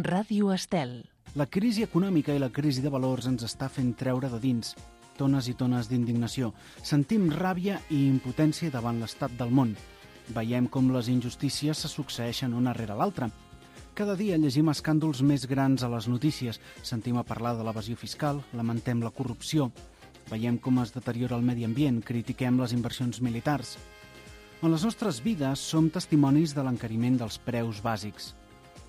Ràdio Estel. La crisi econòmica i la crisi de valors ens està fent treure de dins tones i tones d'indignació. Sentim ràbia i impotència davant l'estat del món. Veiem com les injustícies se succeeixen una rere l'altra. Cada dia llegim escàndols més grans a les notícies. Sentim a parlar de l'evasió fiscal, lamentem la corrupció. Veiem com es deteriora el medi ambient, critiquem les inversions militars. En les nostres vides som testimonis de l'encariment dels preus bàsics.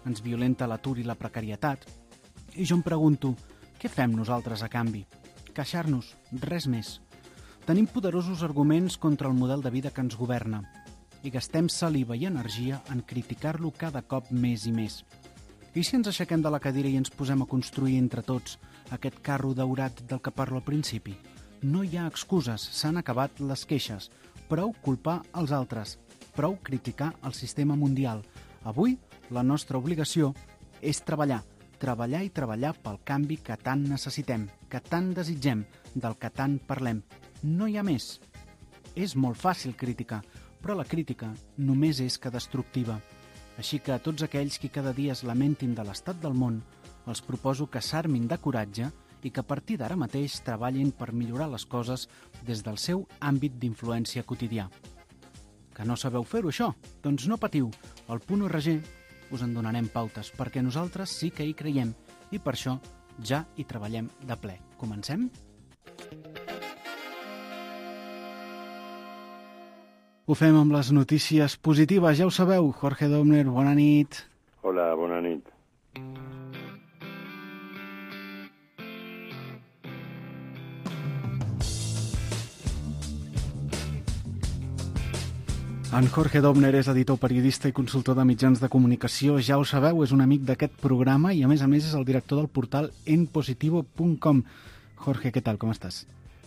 Ens violenta l'atur i la precarietat. I jo em pregunto, què fem nosaltres a canvi? Queixar-nos, res més. Tenim poderosos arguments contra el model de vida que ens governa i gastem saliva i energia en criticar-lo cada cop més i més. I si ens aixequem de la cadira i ens posem a construir entre tots aquest carro daurat del que parlo al principi? No hi ha excuses, s'han acabat les queixes. Prou culpar els altres, prou criticar el sistema mundial. Avui, la nostra obligació és treballar i treballar pel canvi que tant necessitem, que tant desitgem, del que tant parlem. No hi ha més. És molt fàcil criticar, però la crítica només és que destructiva. Així que a tots aquells que cada dia es lamentin de l'estat del món, els proposo que s'armin de coratge i que a partir d'ara mateix treballin per millorar les coses des del seu àmbit d'influència quotidià. Que no sabeu fer-ho, això? Doncs no patiu. Al .org us en donarem pautes, perquè nosaltres sí que hi creiem i per això ja hi treballem de ple. Comencem? Ho fem amb les notícies positives, ja ho sabeu. Jorge Dobner, bona nit. Hola, bona nit. En Jorge Dobner és editor, periodista i consultor de mitjans de comunicació. Ja ho sabeu, és un amic d'aquest programa i a més és el director del portal enpositivo.com. Jorge, què tal, com estàs?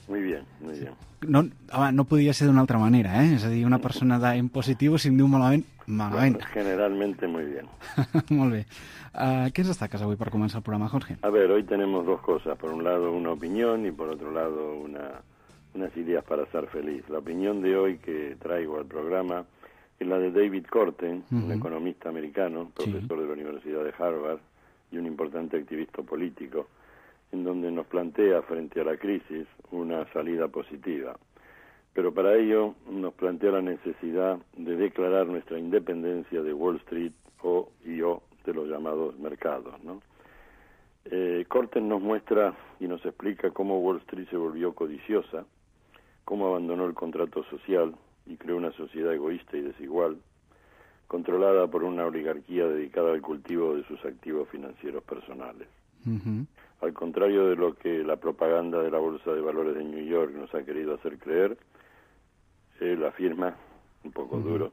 Muy bien, muy bien. No podia ser d'una altra manera, eh? És a dir, una persona d'en positivo, si em diu malament, malament. Bueno, generalmente muy bien. Molt bé. ¿Qué nos destacas hoy para comenzar el programa, Jorge? A ver, hoy tenemos dos cosas. Por un lado, una opinión y por otro lado, unas ideas para ser feliz. La opinión de hoy que traigo al programa es la de David Korten, un economista americano, profesor de la Universidad de Harvard y un importante activista político, en donde nos plantea frente a la crisis una salida positiva. Pero para ello nos plantea la necesidad de declarar nuestra independencia de Wall Street o de los llamados mercados, ¿no? Korten nos muestra y nos explica cómo Wall Street se volvió codiciosa, cómo abandonó el contrato social y creó una sociedad egoísta y desigual, controlada por una oligarquía dedicada al cultivo de sus activos financieros personales. Al contrario de lo que la propaganda de la Bolsa de Valores de New York nos ha querido hacer creer, él afirma, un poco duro,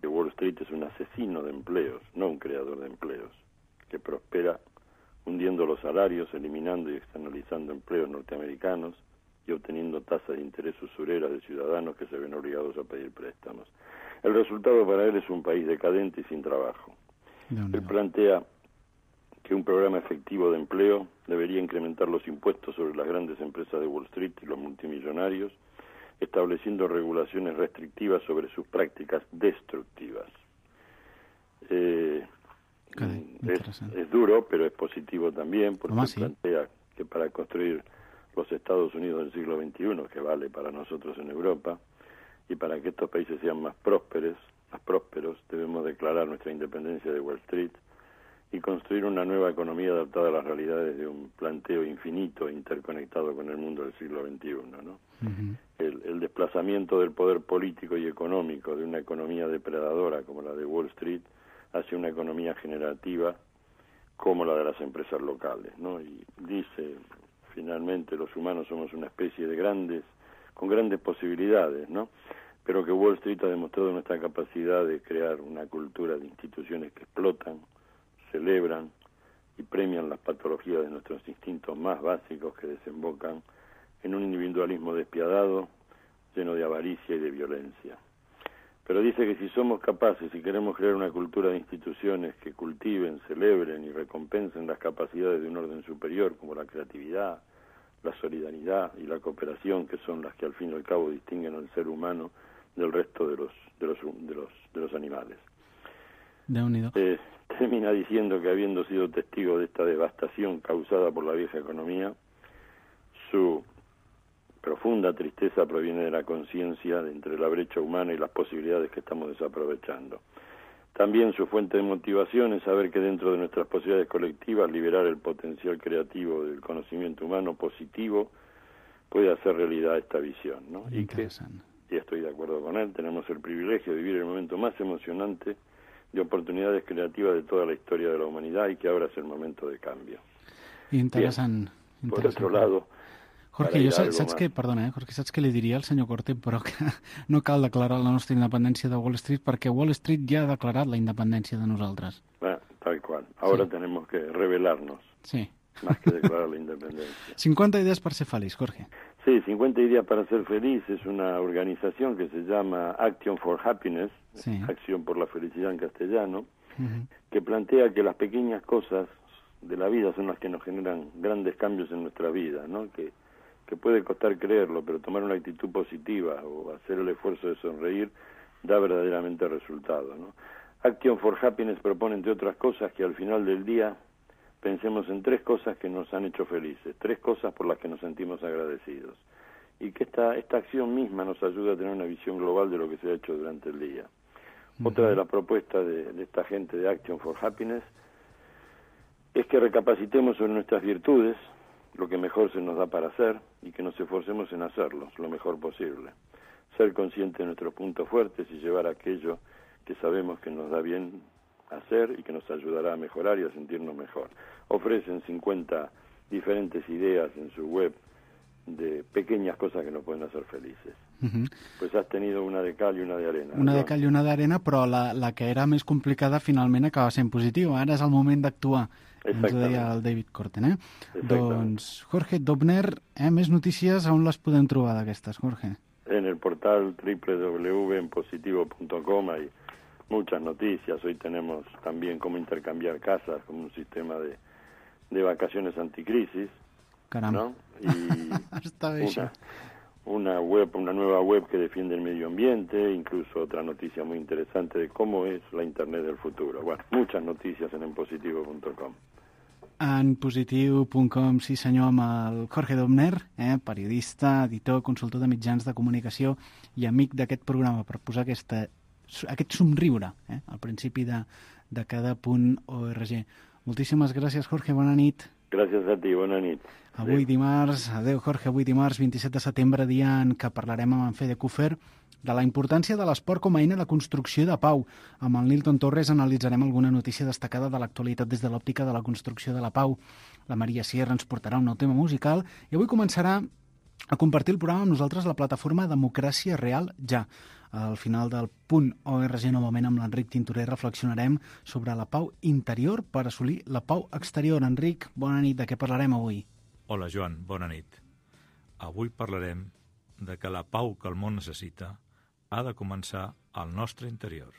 que Wall Street es un asesino de empleos, no un creador de empleos, que prospera hundiendo los salarios, eliminando y externalizando empleos norteamericanos y obteniendo tasas de interés usureras de ciudadanos que se ven obligados a pedir préstamos. El resultado para él es un país decadente y sin trabajo. Él plantea que un programa efectivo de empleo debería incrementar los impuestos sobre las grandes empresas de Wall Street y los multimillonarios, estableciendo regulaciones restrictivas sobre sus prácticas destructivas. Es duro, pero es positivo también, porque plantea que para construir los Estados Unidos del siglo XXI, que vale para nosotros en Europa, y para que estos países sean más prósperos, debemos declarar nuestra independencia de Wall Street y construir una nueva economía adaptada a las realidades de un planteo infinito e interconectado con el mundo del siglo XXI, ¿no? El desplazamiento del poder político y económico de una economía depredadora como la de Wall Street hacia una economía generativa como la de las empresas locales, ¿no? Y dice, finalmente, los humanos somos una especie con grandes posibilidades, ¿no? Pero que Wall Street ha demostrado nuestra capacidad de crear una cultura de instituciones que explotan, celebran y premian las patologías de nuestros instintos más básicos que desembocan en un individualismo despiadado, lleno de avaricia y de violencia. Pero dice que si somos capaces y queremos crear una cultura de instituciones que cultiven, celebren y recompensen las capacidades de un orden superior, como la creatividad, la solidaridad y la cooperación, que son las que al fin y al cabo distinguen al ser humano del resto de los animales. termina diciendo que habiendo sido testigo de esta devastación causada por la vieja economía, su profunda tristeza proviene de la conciencia de entre la brecha humana y las posibilidades que estamos desaprovechando. También su fuente de motivación es saber que dentro de nuestras posibilidades colectivas liberar el potencial creativo del conocimiento humano positivo puede hacer realidad esta visión, ¿no? Y que, y estoy de acuerdo con él, tenemos el privilegio de vivir el momento más emocionante de oportunidades creativas de toda la historia de la humanidad y que ahora es el momento de cambio. Interessant. Bien. Por otro lado, Jorge, jo saps què, perdona, Jorge, saps què li diria al senyor Corte, però que no cal declarar la nostra independència de Wall Street perquè Wall Street ja ha declarat la independència de nosaltres. Tal cual. Ahora tenemos que rebelarnos. Sí. Más que declarar la independencia. 50 ideas para ser feliz, Jorge. Sí, 50 ideas para ser feliz es una organización que se llama Action for Happiness, sí. Acción por la Felicidad en castellano, que plantea que las pequeñas cosas de la vida son las que nos generan grandes cambios en nuestra vida, ¿no? Que puede costar creerlo, pero tomar una actitud positiva o hacer el esfuerzo de sonreír da verdaderamente resultado, ¿no? Action for Happiness propone, entre otras cosas, que al final del día pensemos en 3 cosas que nos han hecho felices, 3 cosas por las que nos sentimos agradecidos, y que esta acción misma nos ayuda a tener una visión global de lo que se ha hecho durante el día. Otra de las propuestas de esta gente de Action for Happiness es que recapacitemos sobre nuestras virtudes, lo que mejor se nos da para hacer, y que nos esforcemos en hacerlos lo mejor posible. Ser consciente de nuestros puntos fuertes y llevar aquello que sabemos que nos da bien hacer y que nos ayudará a mejorar y a sentirnos mejor. Ofrecen 50 diferentes ideas en su web de pequeñas cosas que nos pueden hacer felices. Pues has tenido una de cal i una de arena. Una de cal i una d'arena, però la que era més complicada finalment acaba sent positiva. Ara és el moment d'actuar, ens ho deia el David Korten. Doncs, Jorge Dobner, més notícies, on les podem trobar d'aquestes, Jorge? En el portal www.positivo.com hay muchas noticias. Hoy tenemos también cómo intercambiar casas como un sistema de vacaciones anticrisis. Caramba. ¿No? Y una nueva web que defiende el medio ambiente, incluso otra noticia muy interesante de cómo es la Internet del futuro. Bueno, muchas noticias en positivo.com. En positiu.com, sí senyor, amb el Jorge Dobner, periodista, editor, consultor de mitjans de comunicació i amic d'aquest programa, per posar aquest somriure al principi de cada punt .org. Moltíssimes gràcies, Jorge, bona nit. Gràcies a ti, bona nit. Avui dimarts, adeu Jorge, avui dimarts 27 de setembre, dia en què parlarem amb en Fede Kufer de la importància de l'esport com a eina de construcció de pau. Amb el Nilton Torres analitzarem alguna notícia destacada de l'actualitat des de l'òptica de la construcció de la pau. La Maria Sierra ens portarà un nou tema musical i avui començarà a compartir el programa amb nosaltres la plataforma Democràcia Real Ja. Al final del punt .org, novament amb l'Enric Tintorer, reflexionarem sobre la pau interior per assolir la pau exterior. Enric, bona nit. De què parlarem avui? Hola, Joan, bona nit. Avui parlarem de que la pau que el món necessita ha de començar al nostre interior.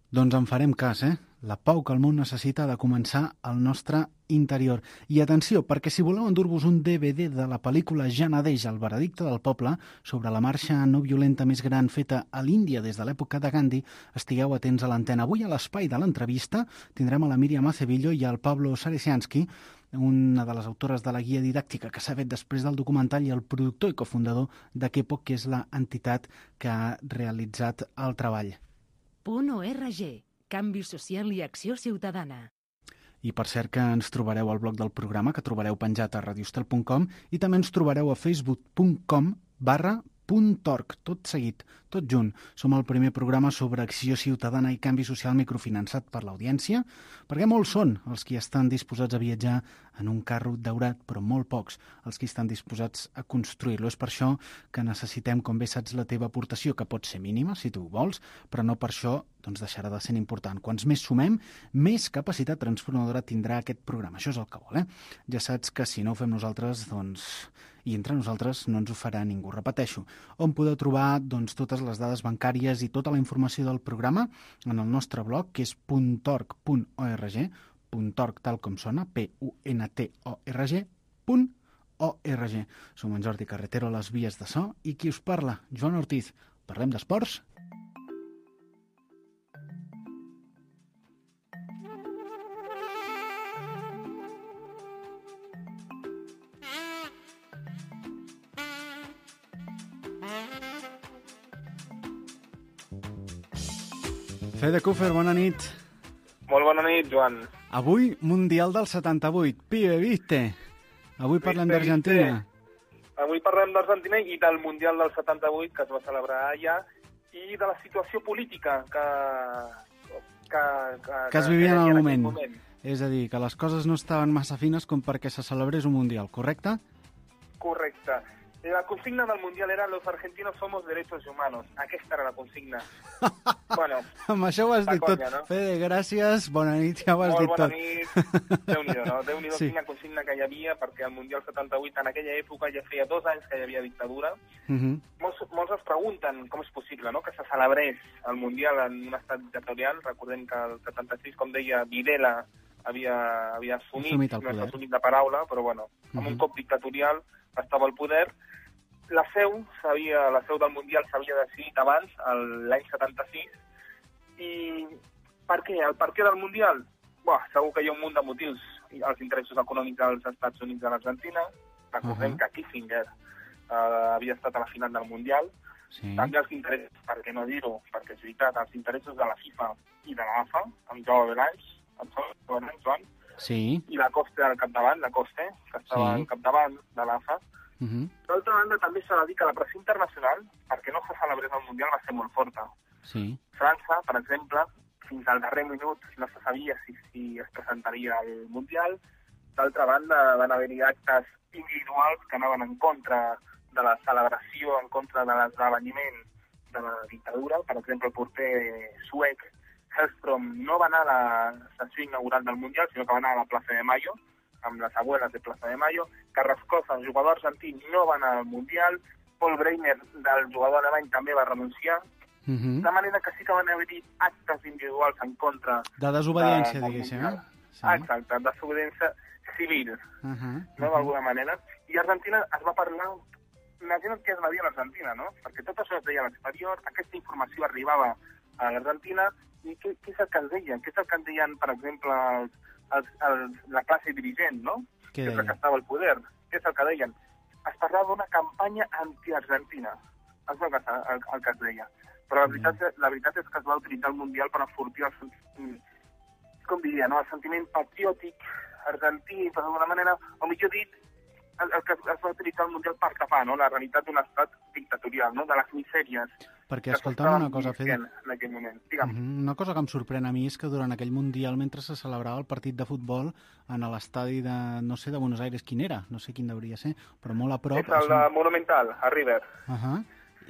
Doncs en farem cas, La pau que el món necessita ha de començar al nostre interior. I atenció, perquè si voleu endur-vos un DVD de la pel·lícula Ja Nadeix, el veredicte del poble, sobre la marxa no violenta més gran feta a l'Índia des de l'època de Gandhi, estigueu atents a l'antena. Avui a l'espai de l'entrevista tindrem a la Míriam Acevillo i al Pablo Saresiansky, una de les autores de la guia didàctica que s'ha fet després del documental i el productor i cofundador de Kepo, que és l'entitat que ha realitzat el treball. .org. Canvi social i acció ciutadana. I per cert que ens trobareu al blog del programa, que trobareu penjat a radiostel.com, i també ens trobareu a facebook.com/.org, tot seguit, tot junt. Som el primer programa sobre acció ciutadana i canvi social microfinançat per l'audiència, perquè molts són els que estan disposats a viatjar en un carro daurat, però molt pocs els que estan disposats a construir-lo. És per això que necessitem, com bé saps, la teva aportació, que pot ser mínima, si tu ho vols, però no per això doncs deixarà de ser important. Quants més sumem, més capacitat transformadora tindrà aquest programa. Això és el que vol, Ja saps que si no ho fem nosaltres, doncs, i entre nosaltres no ens ho farà ningú. Repeteixo, on podeu trobar totes les dades bancàries i tota la informació del programa en el nostre blog, que és .org.org, .org tal com sona, puntorg.org. Som en Jordi Carretero a les vies de so i qui us parla, Joan Ortiz. Parlem d'esports. Fede Kufer, bona nit. Molt bona nit, Joan. Avui, Mundial del 78. Pibe, viste? Avui parlem d'Argentina. Avui parlem d'Argentina i del Mundial del 78, que es va celebrar allà, i de la situació política que es vivia en el moment. És a dir, que les coses no estaven massa fines com perquè se celebrés un Mundial, correcte? Correcte. La consigna del Mundial era los argentinos somos derechos humanos. Aquesta era la consigna. Bueno, amb això ho has dit tot. No? Fede, gràcies, bona nit, ja ho has dit tot. Molt bona nit. Déu-n'hi-do, no? Déu-n'hi-do sí. Quina consigna que hi havia, perquè el Mundial 78 en aquella època ja feia 2 anys que hi havia dictadura. Molts es pregunten com és possible, no?, que se celebrés el Mundial en un estat dictatorial. Recordem que el 76, com deia, Videla havia assumit la paraula, però bueno, amb un cop dictatorial estava al poder. La seu del Mundial s'havia decidit abans, l'any 76, i per què? El per què del Mundial? Segur que hi ha un munt de motius. Els interessos econòmics dels Estats Units de l'Argentina, recordem que Kissinger havia estat a la final del Mundial, també els interessos, per què no dir-ho, perquè és veritat, els interessos de la FIFA i de l'AFA, amb Joao Belanys, Joan, i la Coste al capdavant, que estava al capdavant de l'AFA. D'altra banda, també s'ha de dir que la pressió internacional, perquè no se celebrés el Mundial, va ser molt forta. França, per exemple, fins al darrer minut no se sabia si es presentaria al Mundial. D'altra banda, van haver-hi actes individuals que anaven en contra de la celebració, en contra de l'esdeveniment de la dictadura. Per exemple, el porter suec Hellström no va anar a la sessió inaugural del Mundial, sinó que va anar a la plaça de Mayo, amb les abuelas de Plaza de Mayo. Carrascosa, el jugador argentí, no va anar al Mundial. Paul Breitner, del jugador alemany, també va renunciar. De manera que sí que van haver-hi actes individuals en contra... De desobediència, diguéssim, eh? Exacte, desobediència civil, d'alguna manera. I Argentina es va parlar... Imagina't què es va dir a l'Argentina, no? Perquè tot això es deia a l'exterior, aquesta informació arribava a l'Argentina, i què és el que es deia? Què és el que es deien, per exemple, la classe dirigent, no? Que és la que estava al poder. Què és el que deien? Es parlava d'una campanya anti-argentina. És el que es deia. Però la veritat és que es va utilitzar el Mundial per enfortir el sentiment patriòtic argentí, per d'alguna manera, o millor dit, el que es va utilitzar el Mundial per tapar, no?, la realitat d'un estat dictatorial, no?, de les misèries. Perquè, escolta'm una cosa, Fede, en aquell moment. Una cosa que em sorprèn a mi és que durant aquell Mundial, mentre se celebrava el partit de futbol en l'estadi de, no sé, de Buenos Aires, quin era? No sé quin hauria ser, però molt a prop... És el de Monumental, a River.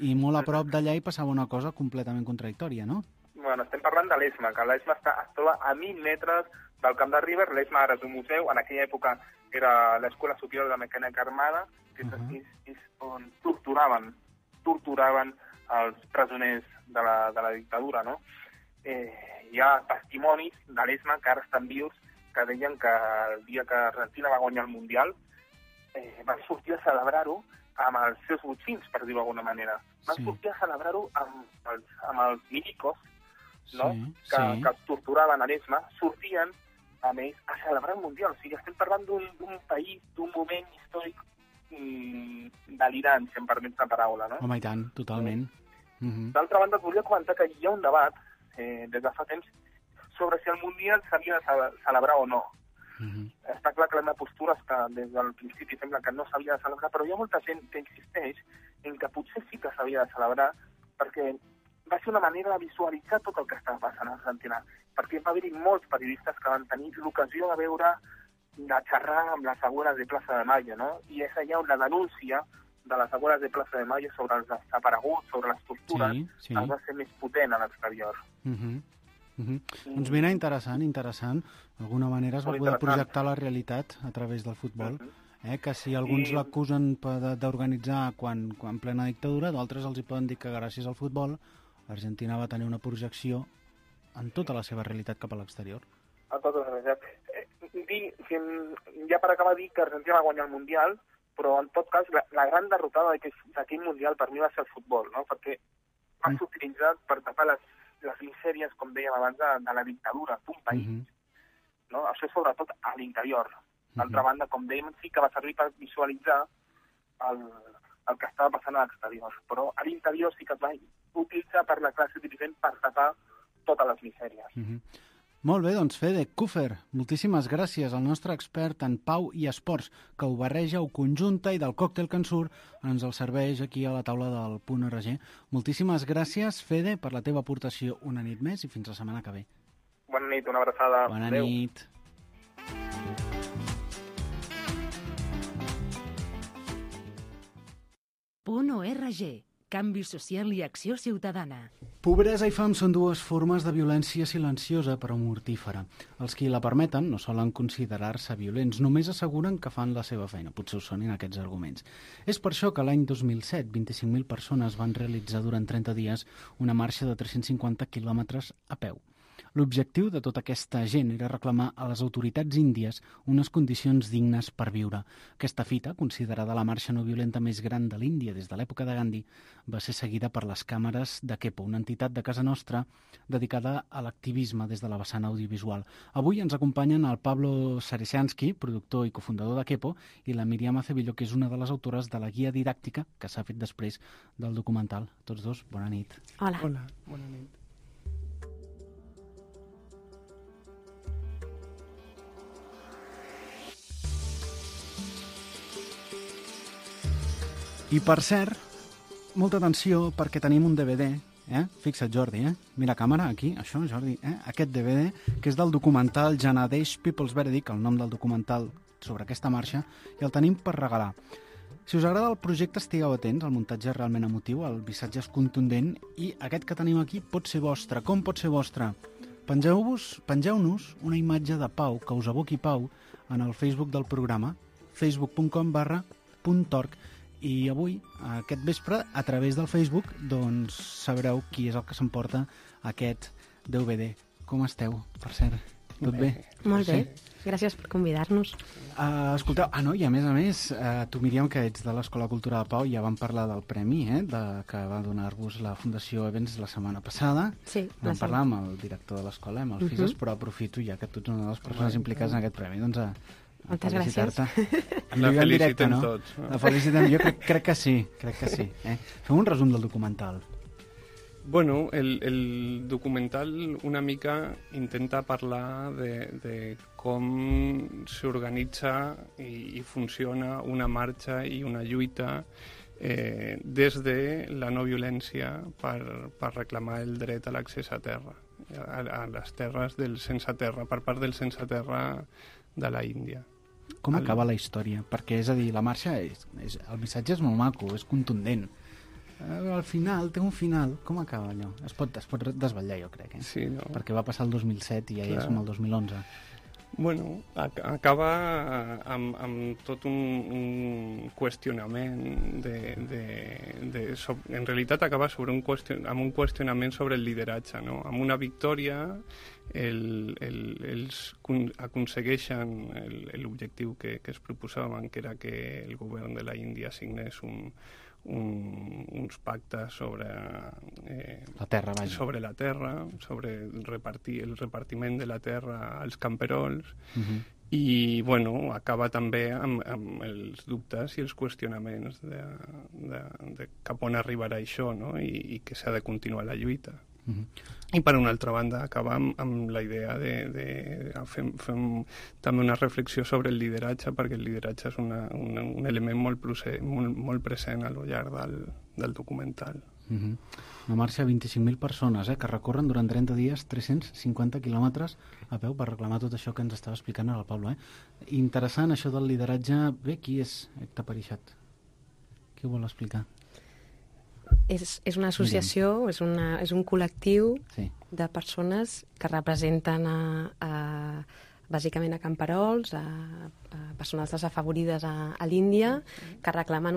I molt a prop d'allà hi passava una cosa completament contradictòria, no? Bueno, estem parlant de l'ESMA, que l'ESMA es troba a 1.000 metres del camp de River. L'ESMA ara és un museu, en aquella època era l'Escola Superior de Mecànica Armada, que és on torturaven els presoners de la dictadura, no? Hi ha testimonis de l'ESMA que ara estan vius, que deien que el dia que Argentina va guanyar el Mundial van sortir a celebrar-ho amb els seus botxins, per dir-ho d'alguna manera. Van sortir a celebrar-ho amb els milicos, no?, que els torturaven a l'ESMA, sortien amb ells a celebrar el Mundial. O sigui, estem parlant d'un país, d'un moment històric delirant, si em permets la paraula, no? Home, i tant, totalment. D'altra banda, et volia comentar que hi ha un debat, des de fa temps, sobre si el Mundial s'havia de celebrar o no. Està clar que la meva postura és que des del principi sembla que no s'havia de celebrar, però hi ha molta gent que insisteix en que potser sí que s'havia de celebrar, perquè va ser una manera de visualitzar tot el que estava passant a Argentina, perquè va haver-hi molts periodistes que van tenir l'ocasió de veure, de xerrar amb les abuelas de Plaza de Mayo, no? I és allà on la denúncia de les abuelas de Plaza de Mayo sobre els desapareguts, sobre les tortures, va ser més potent a l'exterior. Doncs mira, interessant. D'alguna manera es va poder projectar la realitat a través del futbol, que si alguns l'acusen d'organitzar quan en plena dictadura, d'altres els hi poden dir que gràcies al futbol Argentina va tenir una projecció en tota la seva realitat cap a l'exterior. A tota la realitat. Ja per acabar dir que Argentina va guanyar el Mundial, però en tot cas la gran derrotada d'aquell Mundial per mi va ser el futbol, no? Perquè va ser utilitzat per tapar les misèries, com dèiem abans, de la dictadura d'un país. No? Això sobretot a l'interior. D'altra banda, com dèiem, sí que va servir per visualitzar el que estava passant a l'exterior. Però a l'interior sí que es va utilitzar per la classe dirigent per tapar totes les misèries. Molt bé, doncs Fede Kufer, moltíssimes gràcies al nostre expert en pau i esports, que ho barreja, ho conjunta i del còctel que en surt ens el serveix aquí a la taula del .rg. Moltíssimes gràcies, Fede, per la teva aportació una nit més i fins la setmana que ve. Bona nit, una abraçada. Bona nit. .org. Canvi social i acció ciutadana. Pobresa i fam són dues formes de violència silenciosa però mortífera. Els qui la permeten no solen considerar-se violents, només asseguren que fan la seva feina. Potser us sonin aquests arguments. És per això que l'any 2007 25.000 persones van realitzar durant 30 dies una marxa de 350 quilòmetres a peu. L'objectiu de tota aquesta gent era reclamar a les autoritats índies unes condicions dignes per viure. Aquesta fita, considerada la marxa no violenta més gran de l'Índia des de l'època de Gandhi, va ser seguida per les càmeres de Kepo, una entitat de casa nostra dedicada a l'activisme des de la vessant audiovisual. Avui ens acompanyen el Pablo Saresiansky, productor i cofundador de Kepo, i la Míriam Acevillo, que és una de les autores de la guia didàctica que s'ha fet després del documental. Tots dos, bona nit. Hola. Hola, bona nit. I per cert, molta atenció perquè tenim un DVD, Fixa't, Jordi, mira càmera, aquí, això, Jordi, aquest DVD, que és del documental Janadesh People's Verdict, el nom del documental sobre aquesta marxa, i el tenim per regalar. Si us agrada el projecte, estigueu atents, el muntatge és realment emotiu, el missatge és contundent, i aquest que tenim aquí pot ser vostre. Com pot ser vostre? Pengeu-nos una imatge de pau, que us evoqui pau, en el Facebook del programa, facebook.com/.org. I avui, aquest vespre, a través del Facebook, doncs sabreu qui és el que s'emporta aquest DVD. Com esteu, per cert? Tot bé? Molt bé. Gràcies per convidar-nos. Escolteu, i a més, tu, Míriam, que ets de l'Escola Cultura de Pau, ja vam parlar del premi que va donar-vos la Fundació Events la setmana passada. Sí. Vam parlar amb el director de l'escola, amb el FISES, però aprofito, ja que tu ets una de les persones implicades en aquest premi, doncs moltes gràcies. La felicitem tots. La felicitem, jo crec que sí. Fem un resum del documental. Bueno, el documental una mica intenta parlar de com s'organitza i funciona una marxa i una lluita des de la no violència per reclamar el dret a l'accés a terra, a les terres del sense terra, per part del sense terra de la Índia. Com acaba la història? Perquè, és a dir, la marxa, el missatge és molt maco, és contundent. Al final, té un final. Com acaba allò? Es pot desvetllar, jo crec, Sí, no? Perquè va passar el 2007 i ja som el 2011. Bueno, acaba amb tot un qüestionament en realitat acaba amb un qüestionament sobre el lideratge, no? Amb una victòria ells aconsegueixen l'objectiu que es proposaven, que era que el govern de la Índia signés uns pactes sobre la terra, sobre el repartiment de la terra als camperols, i bueno, acaba també amb els dubtes i els qüestionaments de cap on arribarà això, no? I que s'ha de continuar la lluita. I per una altra banda acaba amb la idea de fem també una reflexió sobre el lideratge, perquè el lideratge és un element molt present a lo llarg del documental. Una marxa de 25.000 persones que recorren durant 30 dies 350 quilòmetres a peu per reclamar tot això que ens estava explicant ara el Pablo. Interessant això del lideratge. Bé, qui és Ekta Parishad? Qui ho vol explicar? És una associació, és un col·lectiu de persones que representen bàsicament a camperols, a persones desafavorides a l'Índia, que reclamen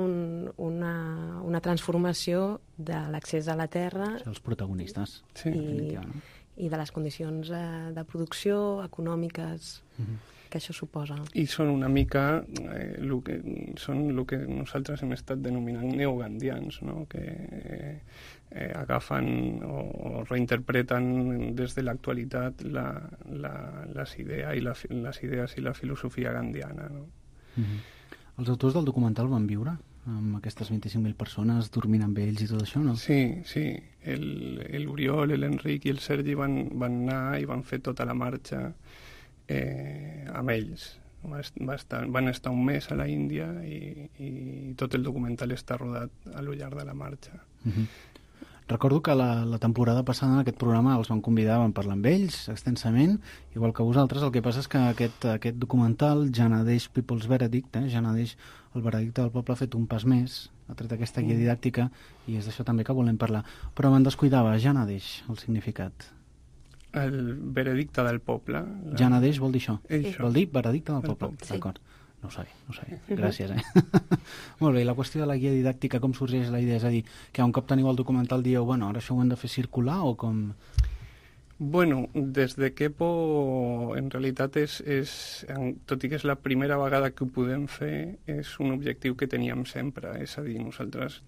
una transformació de l'accés a la terra. Els protagonistes. I de les condicions de producció econòmiques. això suposa. I són una mica el que nosaltres hem estat denominant neogandians, no? Que agafen o reinterpreten des de l'actualitat les idees i la filosofia gandiana, no? Els autors del documental van viure amb aquestes 25.000 persones dormint amb ells i tot això, no? Sí. L'Oriol, l'Enric i el Sergi van anar i van fer tota la marxa amb ells. Van estar un mes a la Índia i tot el documental està rodat a lo llarg de la marxa. Recordo que la temporada passada en aquest programa els van convidar, van parlar amb ells extensament, igual que vosaltres. El que passa és que aquest documental, Janadeix People's Verdict, Janadeix el veredicte del poble, ha fet un pas més, ha tret aquesta guia didàctica, i és d'això també que volem parlar. Però me'n descuidava, Janadeix, el significat. El veredicte del poble. Janadeix vol dir això? Això. Vol dir veredicte del poble, sí. D'acord. No ho sabia. Gràcies, Molt bé, i la qüestió de la guia didàctica, com sorgeix la idea? És a dir, que un cop teniu el documental dieu, bueno, ara això ho hem de fer circular, o com? Bueno, des de Kepo, en realitat, tot i que és la primera vegada que ho podem fer, és un objectiu que teníem sempre. És a dir, nosaltres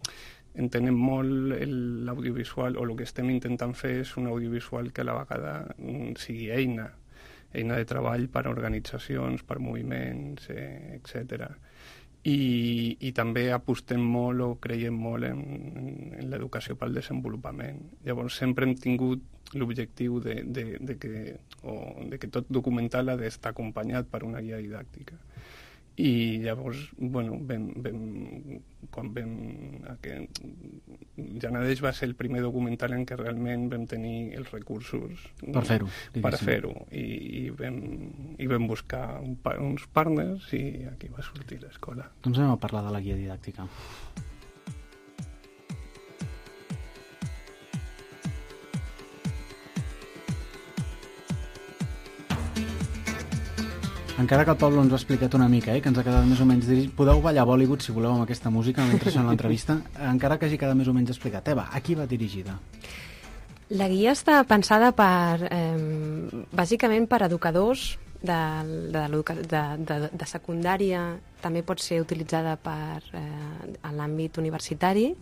entenem molt l'audiovisual, o el que estem intentant fer és un audiovisual que a la vegada sigui eina de treball per a organitzacions, per moviments, etc. I també apostem molt o creiem molt en l'educació pel desenvolupament. Llavors sempre hem tingut l'objectiu de que tot documental ha d'estar acompanyat per una guia didàctica. I llavors, bueno, Janadeix va ser el primer documental en què realment vam tenir els recursos per fer-ho. I vam buscar uns partners i aquí va sortir l'escola. Doncs anem a parlar de la guia didàctica. Encara que el Pablo ens ho ha explicat una mica, que ens ha quedat més o menys dirigit. Podeu ballar Bollywood, si voleu, amb aquesta música mentre això en l'entrevista, encara que hagi quedat més o menys explicat. Eva, a qui va dirigida? La guia està pensada bàsicament per educadors de secundària, també pot ser utilitzada en l'àmbit universitari,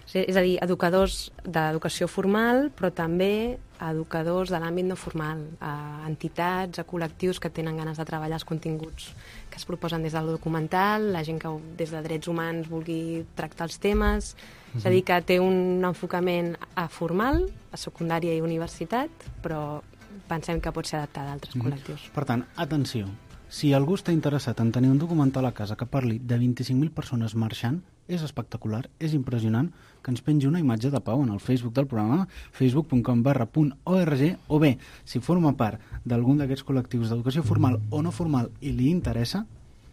és a dir, educadors d'educació formal, però també educadors de l'àmbit no formal, a entitats, a col·lectius que tenen ganes de treballar els continguts que es proposen des del documental, la gent que des de drets humans vulgui tractar els temes, és a dir, que té un enfocament formal, a secundària i universitat, però pensem que pot ser adaptada a altres col·lectius. Per tant, atenció, si algú està interessat en tenir un documental a casa que parli de 25.000 persones marxant, és espectacular, és impressionant, que ens pengi una imatge de Pau en el Facebook del programa, facebook.com/.org, o bé, si forma part d'algun d'aquests col·lectius d'educació formal o no formal i li interessa,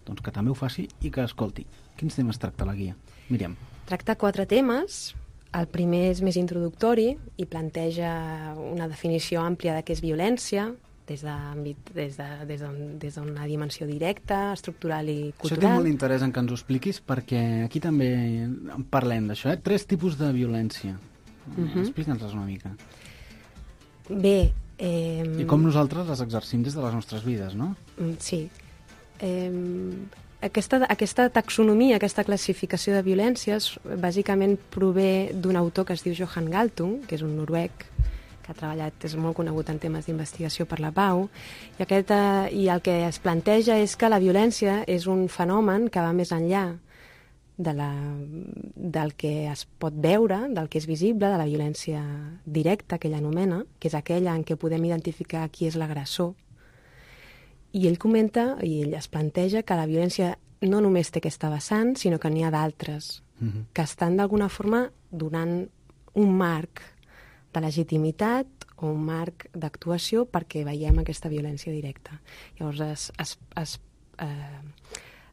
doncs que també ho faci i que escolti. Quins temes tracta la guia? Míriam. Tracta 4 temes. El primer és més introductori i planteja una definició àmplia de què és violència, des d'una dimensió directa, estructural i cultural. Això té molt interès en que ens ho expliquis, perquè aquí també en parlem d'això, 3 tipus de violència. Explica'ns-les una mica. Bé... I com nosaltres les exercim des de les nostres vides, no? Sí. Aquesta taxonomia, aquesta classificació de violències, bàsicament prové d'un autor que es diu Johan Galtung, que és un noruec, que ha treballat, és molt conegut en temes d'investigació per la pau, i el que es planteja és que la violència és un fenomen que va més enllà del que es pot veure, del que és visible, de la violència directa, que ell anomena, que és aquella en què podem identificar qui és l'agressor. I ell comenta, i ell es planteja, que la violència no només té aquesta vessant, sinó que n'hi ha d'altres, que estan d'alguna forma donant un marc de legitimitat o un marc d'actuació perquè veiem aquesta violència directa. Llavors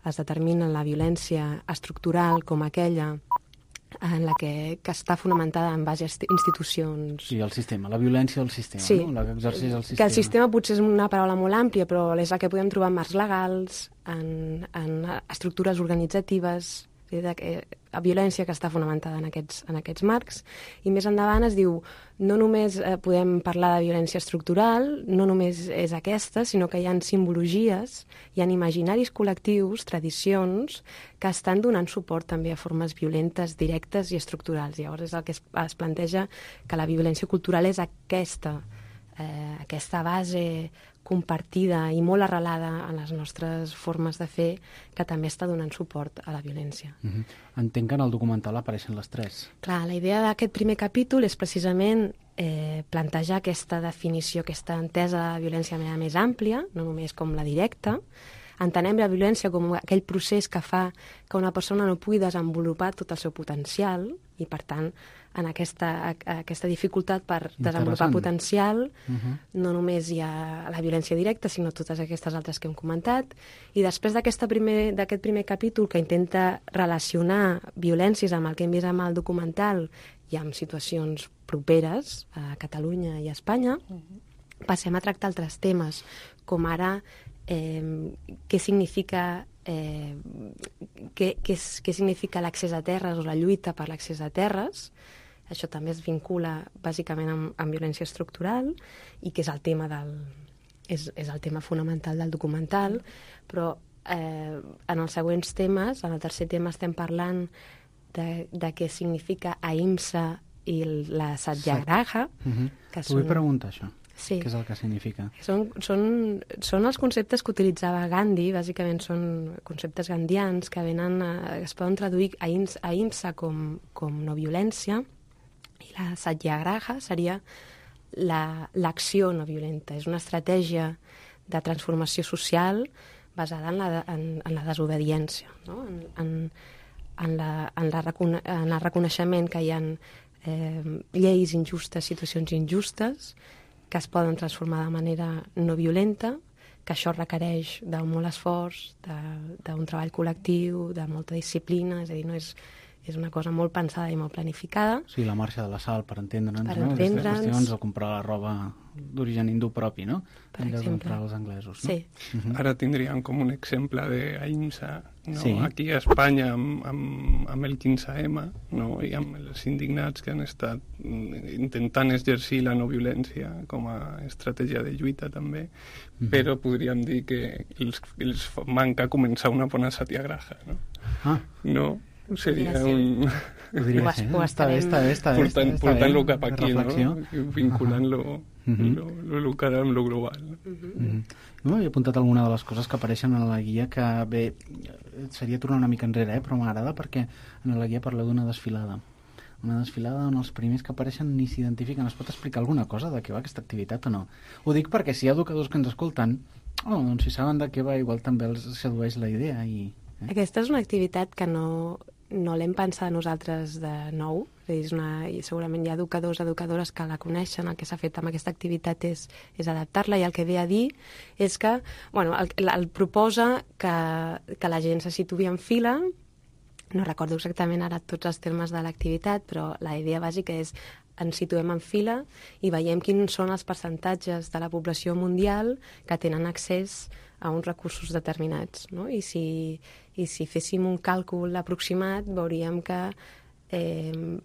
es determina la violència estructural com aquella en la que està fonamentada en base a institucions. Sí, el sistema, la violència del sistema, sí, no? La que exerceix el sistema. Que el sistema potser és una paraula molt àmplia, però és la que podem trobar en marcs legals, en estructures organitzatives, la violència que està fonamentada en aquests marcs, i més endavant es diu no només podem parlar de violència estructural, no només és aquesta, sinó que hi ha simbologies, hi ha imaginaris col·lectius, tradicions, que estan donant suport també a formes violentes, directes i estructurals. Llavors és el que es planteja que la violència cultural és aquesta base compartida i molt arrelada en les nostres formes de fer, que també està donant suport a la violència. Entenc que en el documental apareixen les tres. Clar, la idea d'aquest primer capítol és precisament plantejar aquesta definició, aquesta entesa de violència de manera més àmplia, no només com la directa. Entenem la violència com aquell procés que fa que una persona no pugui desenvolupar tot el seu potencial i, per tant, en aquesta dificultat per desenvolupar potencial, no només hi ha la violència directa, sinó totes aquestes altres que hem comentat. I després d'aquest primer capítol, que intenta relacionar violències amb el que hem vist amb el documental i amb situacions properes a Catalunya i a Espanya, passem a tractar altres temes, com ara què significa l'accés a terres o la lluita per l'accés a terres. Això també es vincula bàsicament amb violència estructural i que és el tema és el tema fonamental del documental, però en els següents temes, en el tercer tema estem parlant de què significa ahimsa i la satyagraha. T'ho vull preguntar, això. Sí. Què és el que significa? Són els conceptes que utilitzava Gandhi, bàsicament són conceptes gandians que es poden traduir ahimsa com no violència, i la satyagraha seria l'acció no violenta. És una estratègia de transformació social basada en la desobediència, no? en el reconeixement que hi ha lleis injustes, situacions injustes, que es poden transformar de manera no violenta, que això requereix d'un molt esforç, d'un treball col·lectiu, de molta disciplina, és a dir, no és una cosa molt pensada i molt planificada. Sí, la marxa de la sal, per entendre'ns, no? Aquestes qüestions, o comprar la roba d'origen hindú propi, no? Per exemple. Comprar els anglesos, no? Sí. Ara tindríem com un exemple d'ahimsa, no? Sí. Aquí a Espanya amb el 15M, no? I amb els indignats que han estat intentant exercir la no violència com a estratègia de lluita també, però podríem dir que els manca començar una bona satyagraha, no? No? Seria un... Està bé. Portant-lo cap aquí, no? Vinculant-lo local amb lo global. He apuntat alguna de les coses que apareixen en la guia, que bé, seria tornar una mica enrere, però m'agrada perquè en la guia parleu d'una desfilada. Una desfilada on els primers que apareixen ni s'identifiquen. Es pot explicar alguna cosa de què va aquesta activitat o no? Ho dic perquè si hi ha educadors que ens escolten, doncs si saben de què va, igual també els sedueix la idea. Aquesta és una activitat que no l'hem pensat nosaltres de nou, és i segurament hi ha educadores que la coneixen. El que s'ha fet amb aquesta activitat és adaptar-la, i el que ve a dir és que el proposa que la gent se situï en fila. No recordo exactament ara tots els termes de l'activitat, però la idea bàsica és ens situem en fila i veiem quins són els percentatges de la població mundial que tenen accés a uns recursos determinats, no? I si féssim un càlcul aproximat, veuríem que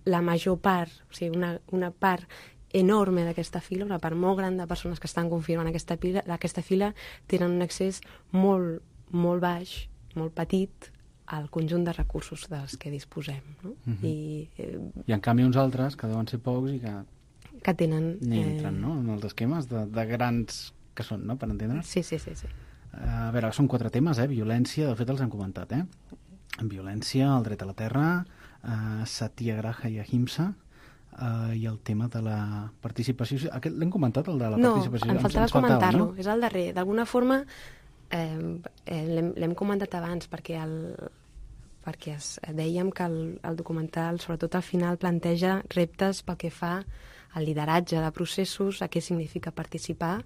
la major part, o sigui, una part enorme d'aquesta fila, una part molt gran de persones que estan confirmant aquesta fila, tenen un accés molt, molt baix, molt petit, al conjunt de recursos dels que disposem, no? I en canvi uns altres, que deuen ser pocs i que tenen... entren, no?, en els esquemes de grans que són, no?, per entendre's. Sí. A veure, són 4 temes, violència, de fet els hem comentat, violència, el dret a la terra, satyagraha i ahimsa, i el tema de la participació. Aquest l'hem comentat, el de la participació? No, em faltava comentar-lo, no? És el darrer. D'alguna forma l'hem comentat abans perquè dèiem que el documental, sobretot al final, planteja reptes pel que fa al lideratge de processos, a què significa participar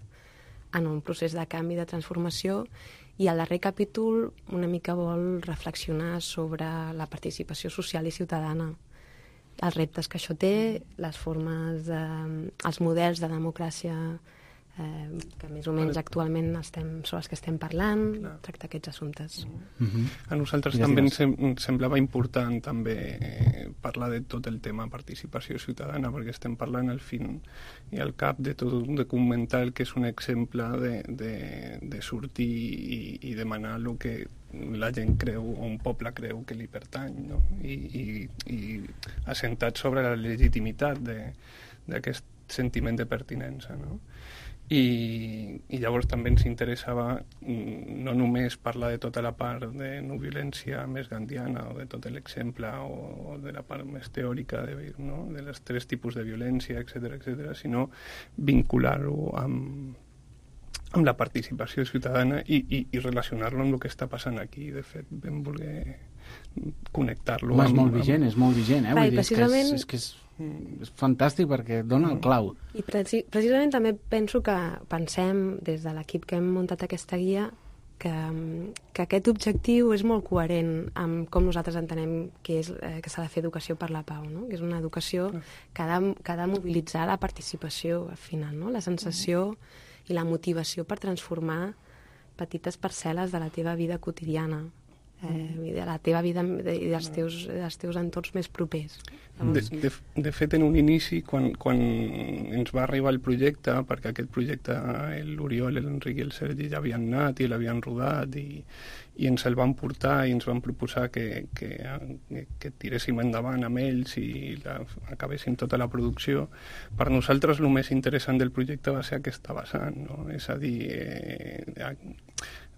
en un procés de canvi, de transformació, i el darrer capítol una mica vol reflexionar sobre la participació social i ciutadana, els reptes que això té, les formes, els models de democràcia que més o menys actualment són les que estem parlant, tractar aquests assumptes. A nosaltres també ens semblava important també parlar de tot el tema participació ciutadana, perquè estem parlant al fin i al cap de tot un documental que és un exemple de sortir i demanar el que la gent creu, o un poble creu que li pertany, no? I assentat sobre la legitimitat d'aquest sentiment de pertinença, no? I llavors també ens interessava no només parlar de tota la part de no violència més gandiana o de tot l'exemple o de la part més teòrica no? De les 3 tipus de violència, etc., sinó vincular-ho amb la participació ciutadana i relacionar-lo amb el que està passant aquí. De fet, vam voler connectar-lo és molt vigent, Vull dir, precisament... és que és fantàstic perquè dona el clau. I precisament també penso que pensem des de l'equip que hem muntat aquesta guia que aquest objectiu és molt coherent amb com nosaltres entenem que s'ha de fer educació per la pau, no? Que és una educació que ha de mobilitzar la participació al final, no? La sensació i la motivació per transformar petites parcel·les de la teva vida quotidiana, de la teva vida i dels teus entorns més propers. De fet, en un inici, quan ens va arribar el projecte, perquè aquest projecte l'Oriol, l'Enric i el Sergi ja havien anat i l'havien rodat i ens el van portar i ens van proposar que tiréssim endavant amb ells i acabéssim tota la producció, per nosaltres el més interessant del projecte va ser aquesta vessant, no? És a dir,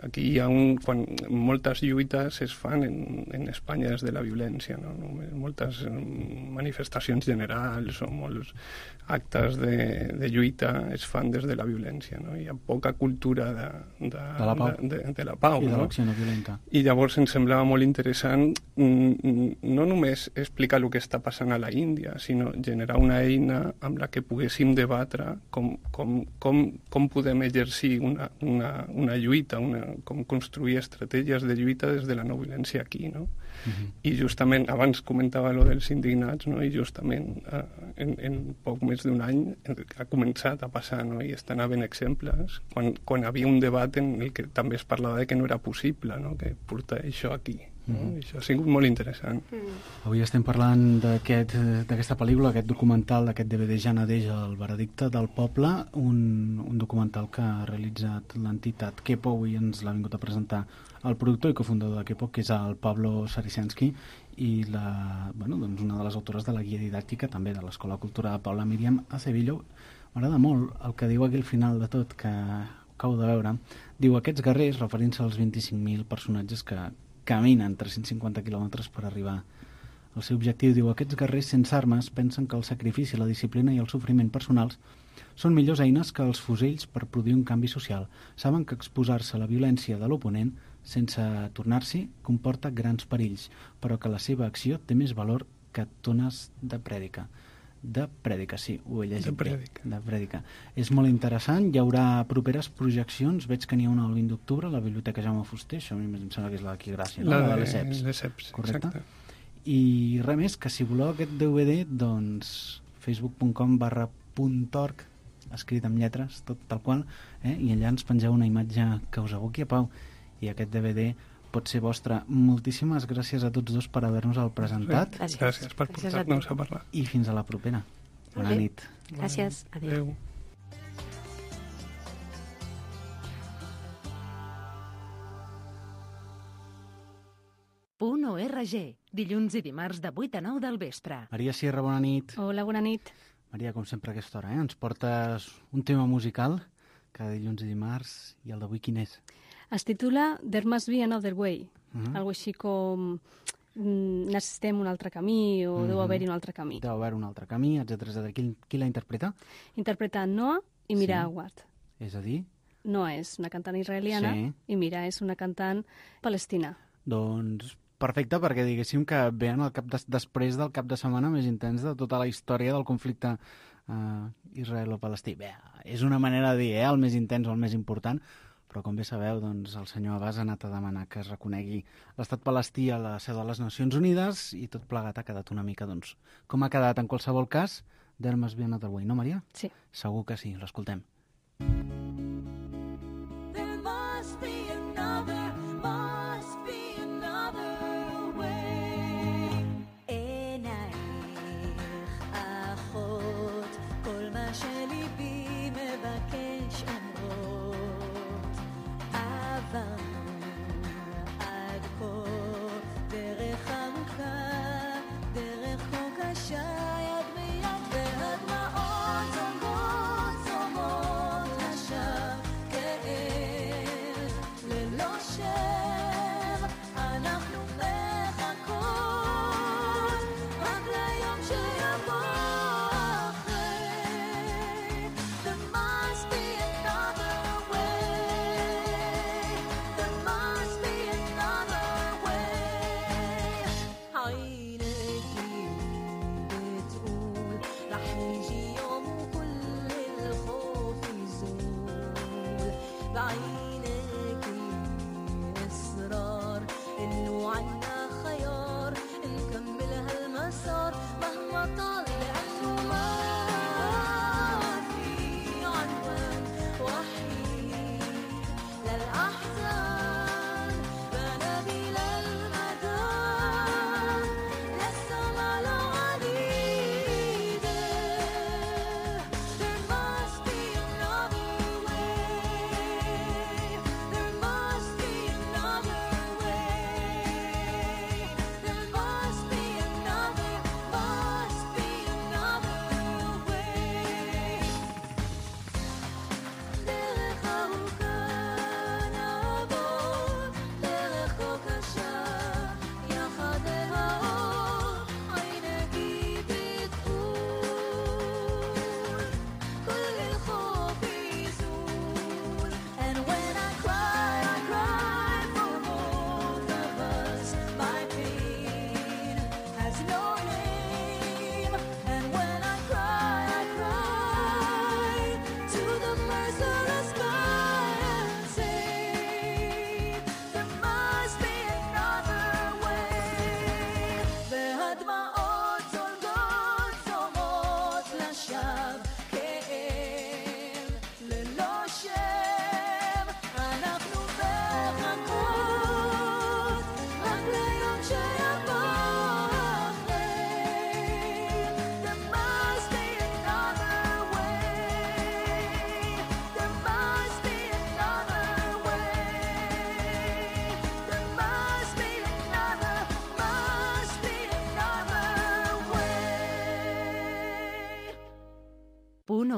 aquí hi ha quan moltes lluites es fan en Espanya des de la violència, no? Moltes manifestacions generals o molts actes de lluita es fan des de la violència, no? Hi ha poca cultura de la pau, i de no? l'acció no violenta. I llavors ens semblava molt interessant no només explicar el que està passant a la Índia, sinó generar una eina amb la que poguéssim debatre com podem exercir una lluita, com construir estratègies de lluita des de la no violència aquí, no? I justament, abans comentava lo dels indignats, no? I justament en poc més d'un any ha començat a passar, no? I estan havent exemples quan havia un debat en el que també es parlava de que no era possible, no? Que portar això aquí, no? Això ha sigut molt interessant. Avui estem parlant d'aquesta pel·lícula, aquest documental, d'aquest DVD Ja Nadeix, El veredicte del poble, un documental que ha realitzat l'entitat Kepo, i ens l'ha vingut a presentar el productor i cofundador de Kepo, que és el Pablo Saricensky, i una de les autores de la guia didàctica també de l'Escola de Cultura de Paula, Míriam Acevillo. M'agrada molt el que diu aquí al final de tot, que acabo de veure. Diu, aquests guerrers, referint-se als 25.000 personatges que caminen 350 quilòmetres per arribar al seu objectiu, diu, aquests guerrers sense armes pensen que el sacrifici, la disciplina i el sofriment personals són millors eines que els fusells per produir un canvi social. Saben que exposar-se a la violència de l'oponent sense tornar-s'hi comporta grans perills, però que la seva acció té més valor que tones de prèdica. De prèdica, sí, ho he llegit. De prèdica. És molt interessant, hi haurà properes projeccions, veig que n'hi ha una el 20 d'octubre a la Biblioteca Jaume Fuster, això em sembla que és la d'aquí Gràcia, no? La de l'ESEPS, correcte? exacte. I res més, que si voleu aquest DVD, doncs facebook.com/.org, escrit amb lletres, tot tal qual, i allà ens pengeu una imatge que us aboqui a pau, i aquest DVD pot ser vostre. Moltíssimes gràcies a tots dos per haver-nos-el presentat. Gràcies per portar-nos a parlar. I fins a la propera. Bona nit. Gràcies. Adéu. .org, dilluns i dimarts de 8 a 9 del vespre. Maria Sierra, bona nit. Hola, bona nit. Maria, com sempre a aquesta hora, ens portes un tema musical cada dilluns i dimarts, i el d'avui quin és? Es titula There Must Be Another Way, algo així com necessitem un altre camí o deu haver-hi un altre camí. Deu haver un altre camí, etc. Qui la interpreta? Interpreta Noah i Mira Awad. És a dir? Noah és una cantant israeliana i Mira és una cantant palestina. Doncs perfecte, perquè diguéssim que ve en el després del cap de setmana més intens de tota la història del conflicte israelo-palestí. Bé, és una manera de dir, el més intens o el més important, però com bé sabeu, doncs, el senyor Abbas ha anat a demanar que es reconegui l'estat palestí a la seu de les Nacions Unides i tot plegat ha quedat una mica, doncs, com ha quedat en qualsevol cas, There Must Be Another Way, no, Maria? Sí. Segur que sí, l'escoltem.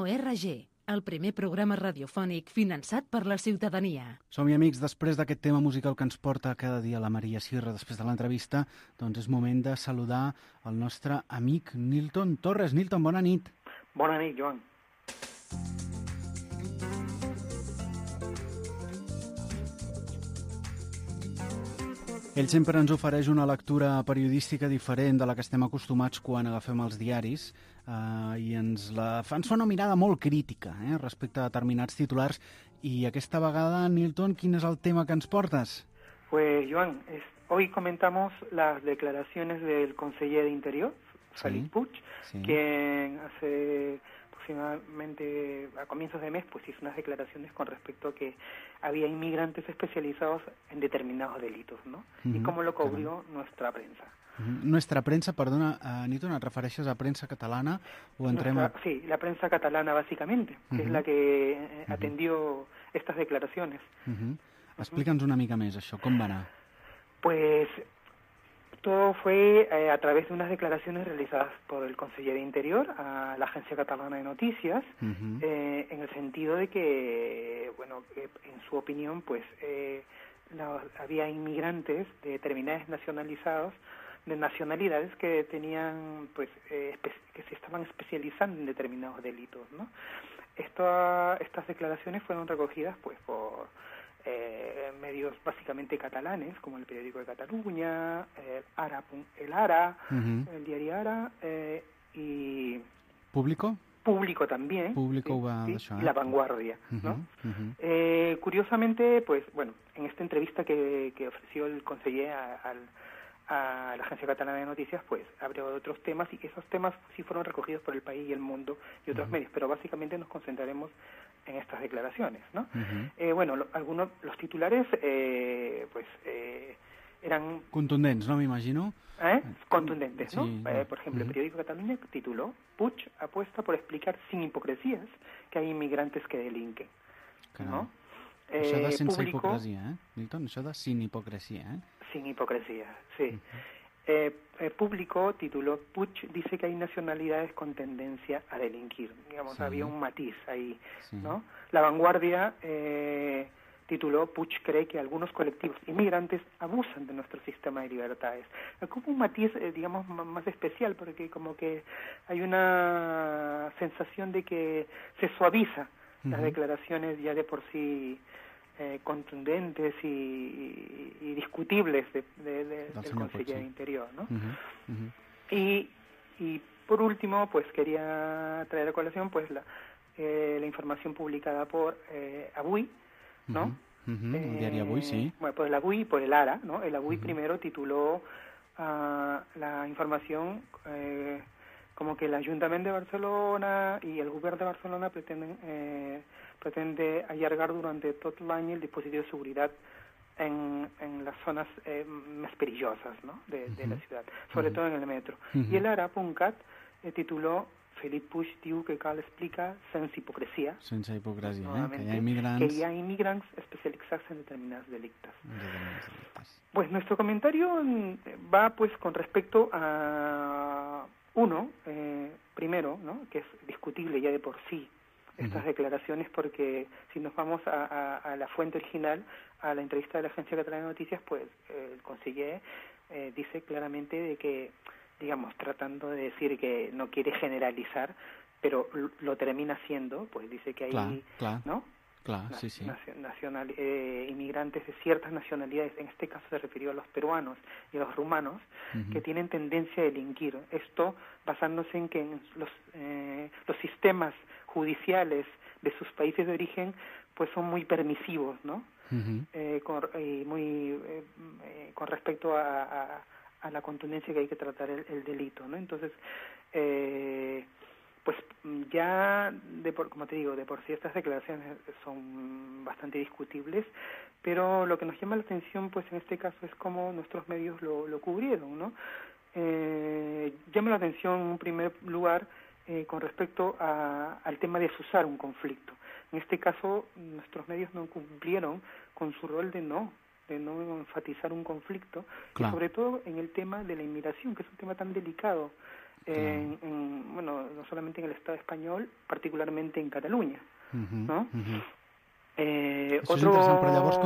No RG, el primer programa radiofònic finançat per la ciutadania. Som-hi, amics, després d'aquest tema musical que ens porta cada dia la Maria Sirra després de l'entrevista, doncs és moment de saludar el nostre amic Nilton Torres. Nilton, bona nit. Bona nit, Joan. Ell sempre ens ofereix una lectura periodística diferent de la que estem acostumats quan agafem els diaris i ens fa una mirada molt crítica respecte a determinats titulars. I aquesta vegada, Nilton, quin és el tema que ens portes? Pues, Joan, hoy comentamos las declaraciones del conseller de Interior, Felip Puig, quien hace aproximadamente a comienzos de mes pues hizo unas declaraciones con respecto a que había inmigrantes especializados en determinados delitos, ¿no? Y cómo lo cubrió nuestra prensa. Nuestra prensa, perdona, Nilton, ¿te refieres a prensa catalana o Sí, la prensa catalana básicamente, que es la que atendió estas declaraciones. Explica'ns una mica més això, com va anar? Pues todo fue a través de unas declaraciones realizadas por el conseller de Interior a la Agencia Catalana de Noticias, en el sentido de que, bueno, en su opinión, pues había inmigrantes de determinadas nacionalidades que tenían, pues, que se estaban especializando en determinados delitos, ¿no? Estas declaraciones fueron recogidas, pues, por medios básicamente catalanes, como el Periódico de Cataluña, el Ara, el diario Ara, y... ¿Público? Público también, y La Vanguardia, ¿no? Curiosamente, pues, bueno, en esta entrevista que ofreció el conseller a la Agencia Catalana de Noticias, pues abrió otros temas, y esos temas sí fueron recogidos por El País y El Mundo y otros medios, pero básicamente nos concentraremos en estas declaraciones, ¿no? Bueno, los titulares, pues, eran... Contundents, ¿no? Me imagino. Contundentes, ¿no? Sí, por ejemplo, el Periódico de Cataluña tituló: Puig apuesta por explicar sin hipocresías que hay inmigrantes que delinquen, ¿no? Això de sense hipocresia, Nilton? Això de sin hipocresia, Sin hipocresía, sí. Público tituló: Puig dice que hay nacionalidades con tendencia a delinquir. Digamos, había un matiz ahí, ¿no? La Vanguardia tituló: Puig cree que algunos colectivos inmigrantes abusan de nuestro sistema de libertades. Como un matiz, digamos, más especial, porque como que hay una sensación de que se suaviza las declaraciones ya de por sí contundentes y discutibles del conseller de Interior, ¿no? Y por último, pues quería traer a colación pues la información publicada por Avui, ¿no? El diario Avui, sí. Bueno, por el Avui y por el Ara, ¿no? El Avui primero tituló la información como que el Ayuntamiento de Barcelona y el Gobierno de Barcelona pretende allargar durante todo el año el dispositivo de seguridad en las zonas más perillosas, ¿no? de la ciudad, sobre todo en el metro. Y el Ara.cat tituló: Felip Puig diu que cal explicar sense hipocresia, que hi ha immigrants especializados en determinados delictos. Pues nuestro comentario va pues con respecto a primero, ¿no? Que es discutible ya de por sí estas declaraciones, porque si nos vamos a la fuente original, a la entrevista de la Agencia Catalana de Noticias, pues el conseller dice claramente de que, digamos, tratando de decir que no quiere generalizar, pero lo termina haciendo, pues dice que hay, ¿no? Inmigrantes de ciertas nacionalidades, en este caso se refirió a los peruanos y a los rumanos, que tienen tendencia a delinquir. Esto basándose en que los sistemas judiciales de sus países de origen pues son muy permisivos, ¿no? Con respecto a la contundencia que hay que tratar el delito, ¿no? Entonces, pues ya, como te digo, de por sí estas declaraciones son bastante discutibles, pero lo que nos llama la atención, pues en este caso, es cómo nuestros medios lo cubrieron, ¿no? Llama la atención en un primer lugar con respecto al tema de azuzar un conflicto. En este caso, nuestros medios no cumplieron con su rol de no enfatizar un conflicto, y sobre todo en el tema de la inmigración, que es un tema tan delicado bueno, no solamente en el Estado español, particularmente en Catalunya, no? Això és interessant, però llavors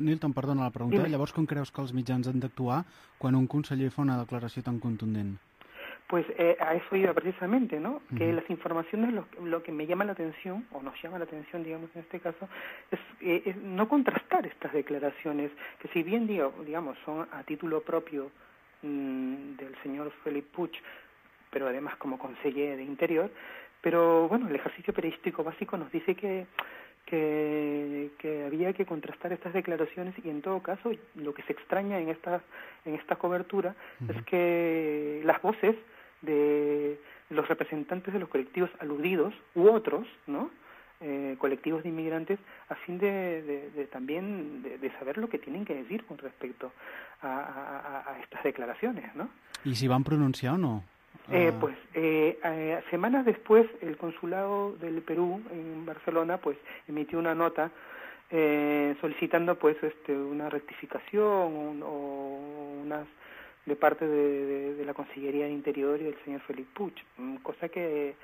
Nilton, perdona la pregunta, llavors com creus que els mitjans han d'actuar quan un conseller fa una declaració tan contundent? Pues a eso iba precisamente, ¿no? Que las informaciones, lo que me llama la atención, o nos llama la atención, digamos, en este caso, es no contrastar estas declaraciones, que si bien, digamos, son a título propio del señor Felip Puig, pero además como conseller de Interior, pero bueno, el ejercicio periodístico básico nos dice que había que contrastar estas declaraciones, y en todo caso lo que se extraña en esta cobertura es que las voces de los representantes de los colectivos aludidos u otros, ¿no? Colectivos de inmigrantes, a fin de también de saber lo que tienen que decir con respecto a estas declaraciones, ¿no? ¿Y si van pronunciar o no? Semanas después el consulado del Perú en Barcelona pues emitió una nota solicitando pues una rectificación o unas de parte de la Consellería de Interior y del señor Felip Puig, cosa que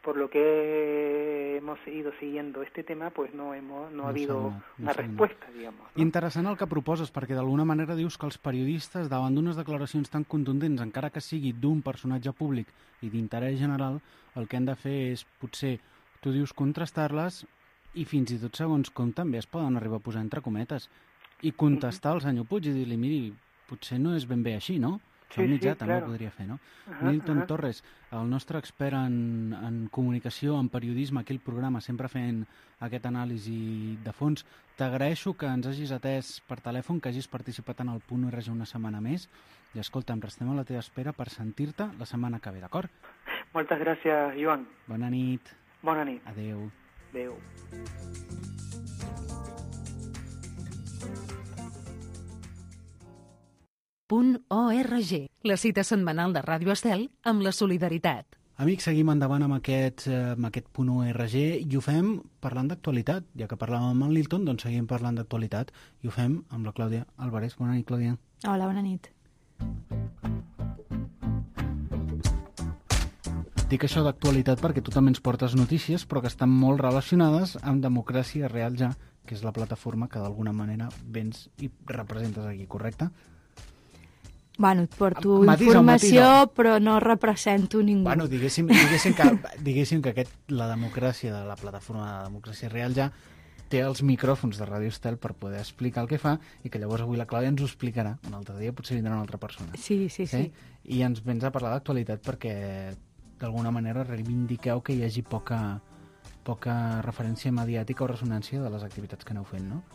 por lo que hemos ido siguiendo este tema, pues no ha habido una respuesta, digamos, ¿no? Interessant el que proposes, perquè d'alguna manera dius que els periodistes, davant d'unes declaracions tan contundents, encara que sigui d'un personatge públic i d'interès general, el que han de fer és, potser, tu dius contrastar-les i fins i tot segons com també es poden arribar a posar entre cometes i contestar al senyor Puig i dir-li, miri, potser no és ben bé així, no? Sí, el mitjà sí, també claro. ho podria fer, no? Nilton Torres, el nostre expert en comunicació, en periodisme, aquí al programa, sempre fent aquest anàlisi de fons. T'agraeixo que ens hagis atès per telèfon, que hagis participat en el Punt URG una setmana més, i escolta'm, restem a la teva espera per sentir-te la setmana que ve, d'acord? Moltes gràcies, Joan. Bona nit. Bona nit. Adéu. Adéu. .org, la cita setmanal de Ràdio Estel amb la solidaritat. Amics, seguim endavant amb aquest punt .org i ho fem parlant d'actualitat. Ja que parlàvem amb el Nilton, doncs seguim parlant d'actualitat i ho fem amb la Clàudia Álvarez. Bona nit, Clàudia. Hola, bona nit. Dic això d'actualitat perquè tu també ens portes notícies, però que estan molt relacionades amb Democràcia Real Ja, que és la plataforma que d'alguna manera vens i representes aquí, correcte? Bueno, et porto informació, però no represento ningú. Bueno, diguéssim que la democràcia de la plataforma de Democràcia Real Ja té els micròfons de Ràdio Estel per poder explicar el que fa i que llavors avui la Clàudia ens ho explicarà. Un altre dia potser vindrà una altra persona. Sí. I ens vens a parlar d'actualitat perquè d'alguna manera reivindiqueu que hi hagi poca referència mediàtica o ressonància de les activitats que aneu fent, no?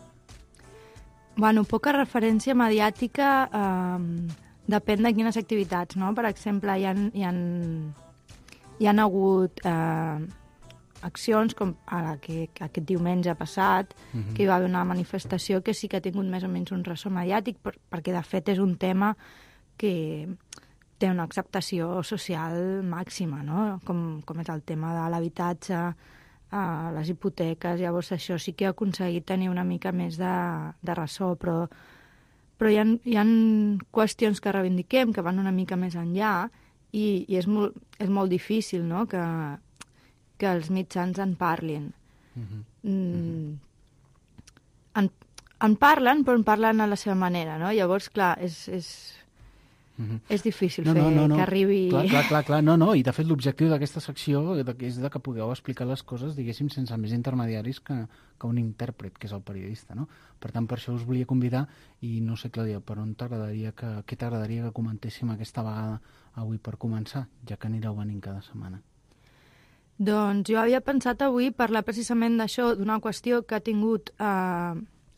Bueno, poca referència mediàtica depèn de quines activitats, no? Per exemple, hi han hagut accions com ara que aquest diumenge passat, que hi va haver una manifestació que sí que ha tingut més o menys un ressò mediàtic, perquè de fet és un tema que té una acceptació social màxima, no? Com és el tema de l'habitatge, les hipoteques. Llavors això sí que ha aconseguit tenir una mica més de ressò, però hi ha qüestions que reivindiquem que van una mica més enllà i és molt difícil, no? que els mitjans en parlin. En parlen, però en parlen a la seva manera, no? Llavors, clar, és difícil que arribi... Clar, no, i de fet l'objectiu d'aquesta secció és que pugueu explicar les coses, diguéssim, sense més intermediaris que un intèrpret, que és el periodista, no? Per tant, per això us volia convidar i no sé, Clàudia, per on què t'agradaria que comentéssim aquesta vegada avui per començar, ja que anireu venint cada setmana? Doncs jo havia pensat avui parlar precisament d'això, d'una qüestió que ha tingut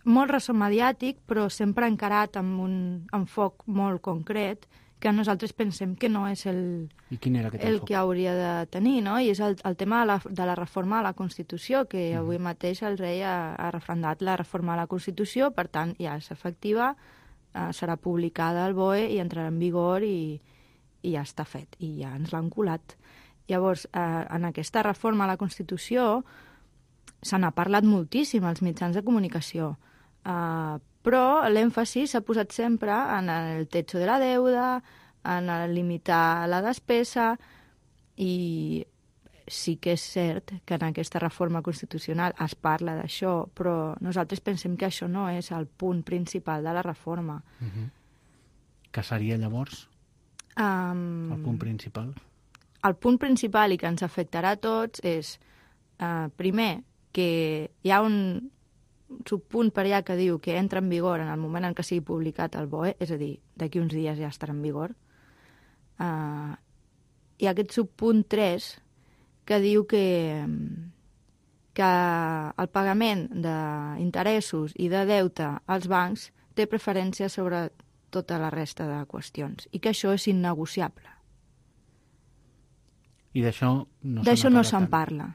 molt ressò mediàtic, però sempre encarat amb un enfoc molt concret, que nosaltres pensem que no és el que hauria de tenir, no? I és el tema de la reforma de la Constitució, que avui mateix el rei ha referendat la reforma de la Constitució, per tant, ja és efectiva, serà publicada al BOE i entrarà en vigor i ja està fet, i ja ens l'han colat. Llavors, en aquesta reforma a la Constitució se n'ha parlat moltíssim als mitjans de comunicació, però l'èmfasi s'ha posat sempre en el techo de la deuda, en limitar la despesa, i sí que és cert que en aquesta reforma constitucional es parla d'això, però nosaltres pensem que això no és el punt principal de la reforma. Què seria llavors el punt principal? El punt principal i que ens afectarà a tots és, primer, que hi ha un subpunt per allà que diu que entra en vigor en el moment en què sigui publicat el BOE, és a dir, d'aquí uns dies ja estarà en vigor. I aquest subpunt 3 que diu que el pagament d'interessos i de deute als bancs té preferència sobre tota la resta de qüestions i que això és innegociable. I d'això no se'n parla.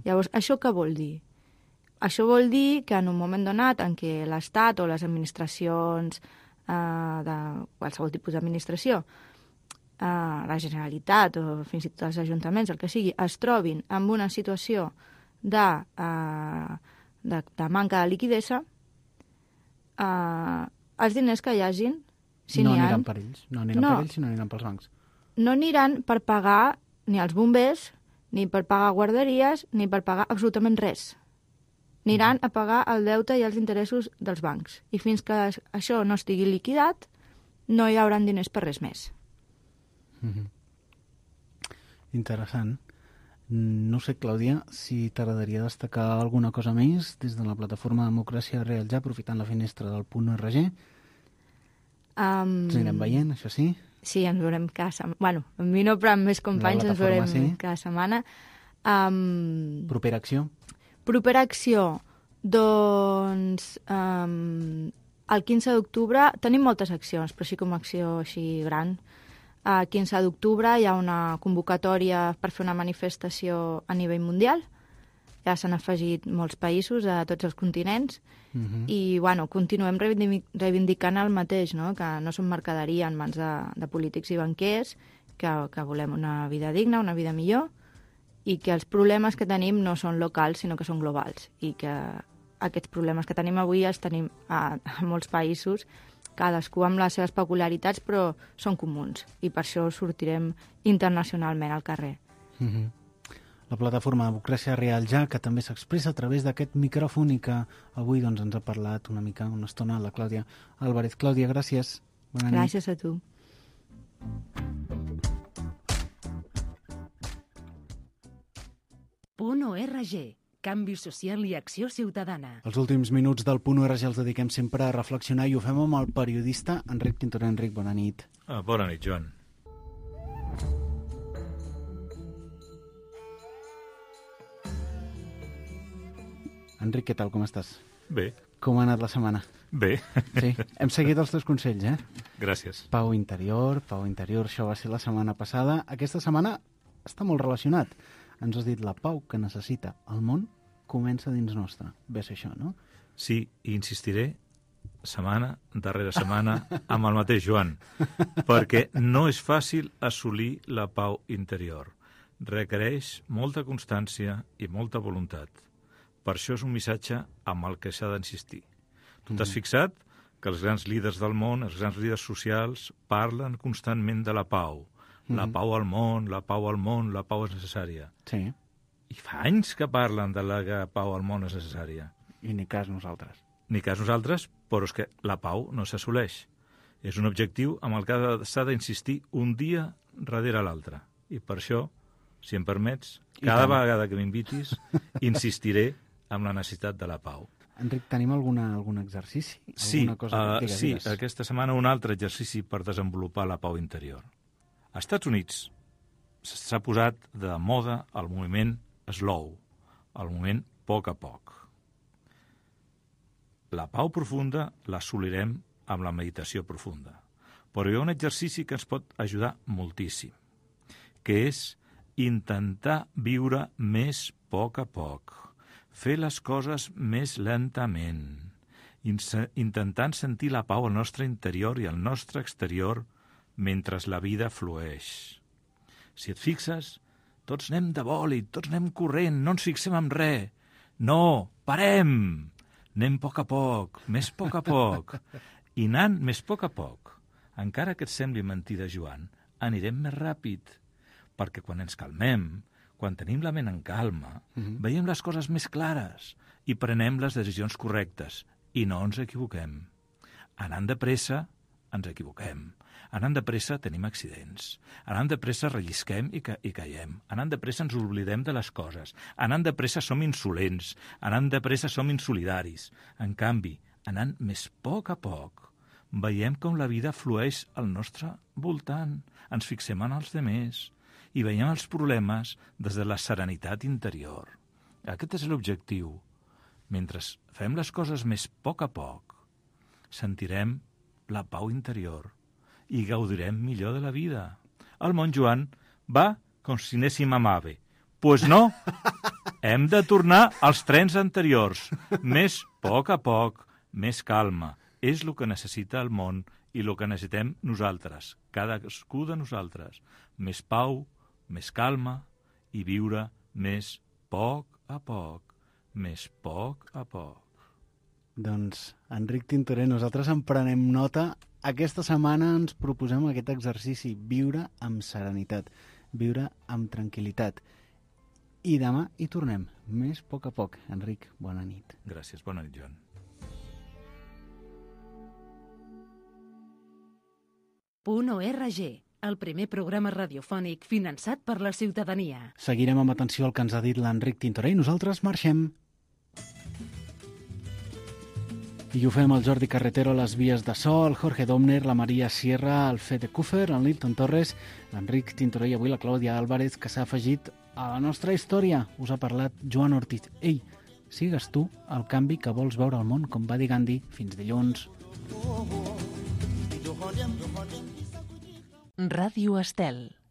Llavors, això què vol dir? Això vol dir que en un moment donat en què l'Estat o les administracions de qualsevol tipus d'administració, la Generalitat o fins i tot els ajuntaments, el que sigui, es trobin en una situació de manca de liquidesa, els diners que hi hagin, si no n'hi ha... aniran per ells, no aniran pels bancs. No aniran per pagar ni els bombers, ni per pagar guarderies, ni per pagar absolutament res. Aniran a pagar el deute i els interessos dels bancs. I fins que això no estigui liquidat, no hi haurà diners per res més. Interessant. No sé, Clàudia, si t'agradaria destacar alguna cosa més des de la plataforma Democràcia Real Ja, aprofitant la finestra del .org. Ens anirem veient, això sí? Sí, ens veurem cada setmana. Bueno, amb mi no, però amb més companys ens veurem cada setmana. Propera acció? Propera acció, doncs el 15 d'octubre tenim moltes accions, però sí com acció així gran. El 15 d'octubre hi ha una convocatòria per fer una manifestació a nivell mundial. Ja s'han afegit molts països a tots els continents i bueno, continuem reivindicant el mateix, no? Que no som mercaderia en mans de polítics i banquers, que volem una vida digna, una vida millor, i que els problemes que tenim no són locals, sinó que són globals, i que aquests problemes que tenim avui els tenim a molts països, cadascú amb les seves peculiaritats, però són comuns, i per això sortirem internacionalment al carrer. La plataforma Democràcia Real Ja, que també s'expressa a través d'aquest micròfon i que avui doncs, ens ha parlat una estona, la Clàudia Álvarez. Clàudia, gràcies. Bona nit. Gràcies a tu. .org. Canvi social i acció ciutadana. Els últims minuts del .org els dediquem sempre a reflexionar i ho fem amb el periodista Enric Tintoré. Enric, bona nit. Bona nit, Joan. Enric, què tal, com estàs? Bé. Com ha anat la setmana? Bé. Sí, hem seguit els teus consells, Gràcies. Pau interior, això va ser la setmana passada. Aquesta setmana està molt relacionat. Ens has dit la pau que necessita el món comença dins nostre. Ve a ser això, no? Sí, i insistiré setmana darrere setmana amb el mateix Joan, perquè no és fàcil assolir la pau interior. Requereix molta constància i molta voluntat. Per això és un missatge amb el que s'ha d'insistir. Tu t'has fixat que els grans líders del món, els grans líders socials, parlen constantment de la pau. La pau al món, la pau al món, la pau és necessària. Sí. I fa anys que parlen de la pau al món és necessària. I ni cas nosaltres. Ni cas nosaltres, però és que la pau no s'assoleix. És un objectiu amb el que s'ha d'insistir un dia darrere l'altre. I per això, si em permets, cada vegada que m'invitis, insistiré amb la necessitat de la pau. Enric, tenim algun exercici? Sí, cosa? Digues. Aquesta setmana un altre exercici per desenvolupar la pau interior. Als Estats Units s'ha posat de moda el moviment slow, el moviment a poc. La pau profunda l'assolirem amb la meditació profunda. Però hi ha un exercici que ens pot ajudar moltíssim, que és intentar viure més a poc, fer les coses més lentament, intentant sentir la pau al nostre interior i al nostre exterior mentre la vida flueix. Si et fixes, tots anem de bòlit, tots anem corrent, no ens fixem en res. No, parem! Anem a poc, més a poc. I anant més a poc, encara que et sembli mentida, Joan, anirem més ràpid, perquè quan ens calmem, quan tenim la ment en calma, veiem les coses més clares i prenem les decisions correctes i no ens equivoquem. Anant de pressa, ens equivoquem. Anant de pressa tenim accidents. Anant de pressa rellisquem i caiem. Anant de pressa ens oblidem de les coses. Anant de pressa som insolents. Anant de pressa som insolidaris. En canvi, anant més poc a poc, veiem com la vida flueix al nostre voltant. Ens fixem en els demés i veiem els problemes des de la serenitat interior. Aquest és l'objectiu. Mentre fem les coses més poc a poc, sentirem la pau interior i gaudirem millor de la vida. El món Joan va com si anéssim a Mave. Pues no, hem de tornar als trens anteriors. Més poc a poc, més calma. És el que necessita el món i el que necessitem nosaltres, cadascú de nosaltres. Més pau, més calma i viure més poc a poc. Més poc a poc. Doncs, Enric Tintorer, nosaltres en prenem nota. Aquesta setmana ens proposem aquest exercici, viure amb serenitat, viure amb tranquil·litat. I demà hi tornem, més poc a poc. Enric, bona nit. Gràcies, bona nit, Joan. .org, el primer programa radiofònic finançat per la ciutadania. Seguirem amb atenció el que ens ha dit l'Enric Tintorer i nosaltres marxem. I ho fem el Jordi Carretero a les vies de so, el Jorge Domner, la Maria Sierra, el Fede Kufer, el Nilton Torres, l'Enric Tintorer i avui la Clàudia Álvarez, que s'ha afegit a la nostra història. Us ha parlat Joan Ortiz. Ei, sigues tu el canvi que vols veure al món, com va dir Gandhi. Fins dilluns. Ràdio Estel.